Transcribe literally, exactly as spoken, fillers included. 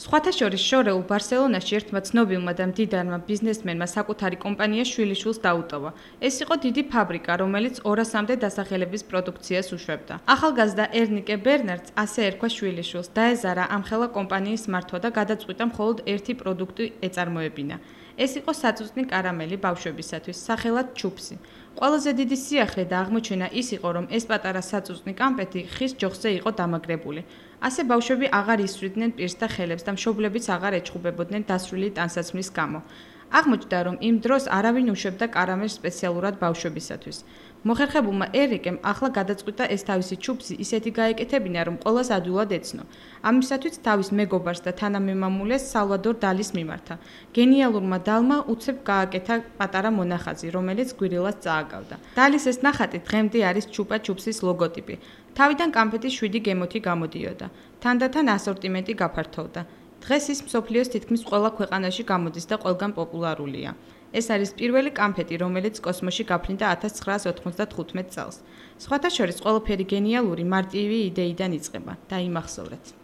სხვათა შორის შორეულ ბარსელონაში ერთმა ცნობილმა და მდიდარმა ბიზნესმენმა საკუთარი კომპანია შვილიშვილს დაუტოვა. ეს იყო დიდი ფაბრიკა, რომელიც ორასამდე დასახელების პროდუქციას უშვებდა. ახალგაზრდა ერნიკე ბერნარდს ასე ერქვა შვილიშვილს, დაეზარა ამხელა კომპანიის მართვა და გადაწყვიტა მხოლოდ ერთი პროდუქტი ეწარმოებინა. ეს იყო საწუწნი კარამელი ბავშვებისათვის, სახელად ჩუპსი. ყველაზე დიდი სიახლე და აღმოჩენა ის იყო, რომ ეს პატარა საწუწნი კამპეტი ხის ჯოხზე იყო დამაგრებული. ასე ბავშვები აღარ ისვრიდნენ პირს და ხელებს და მშობლებიც აღარ ეჩხუბებოდნენ დასრული ტანსაცმლის გამო. აღმოჩნდა, რომ იმ დროს არავინ უშვებდა კარამელს სპეციალურად ბავშვებისათვის. მოხერხებულმა ერიკემ ახლა გადაწყვიტა ეს თავისი ჩუპსი ისეთი გაეკეთებინა, რომ ყველას ადვილად ეცნო. ამისათვის თავის მეგობარს და თანამემამულეს სალვადორ დალის მიმართა. გენიალურმა დალმა უცებ გააკეთა პატარა მონახაზი, რომელიც გვირილას წააგავდა. დალის ეს ნახატი დღემდე არის ჩუპა ჩუპსის ლოგოტიპი. თავიდან კამფეტის შვიდი გემოთი გამოდიოდა. თანდათან ასორტიმენტი გაფართოვდა. დღეს ის მსოფლიოს თითქმის ყველა ქვეყანაში გამოდის და ყველგან პოპულარულია. ეს არის პირველი კამფეტი, რომელიც კოსმოსში გაფრინდა ათას ცხრაას ოთხმოცდათხუთმეტ წელს. სხვათა შორის ყველაფერი გენიალური მარტივი იდეიდან იწყება. დაიმახსოვრეთ.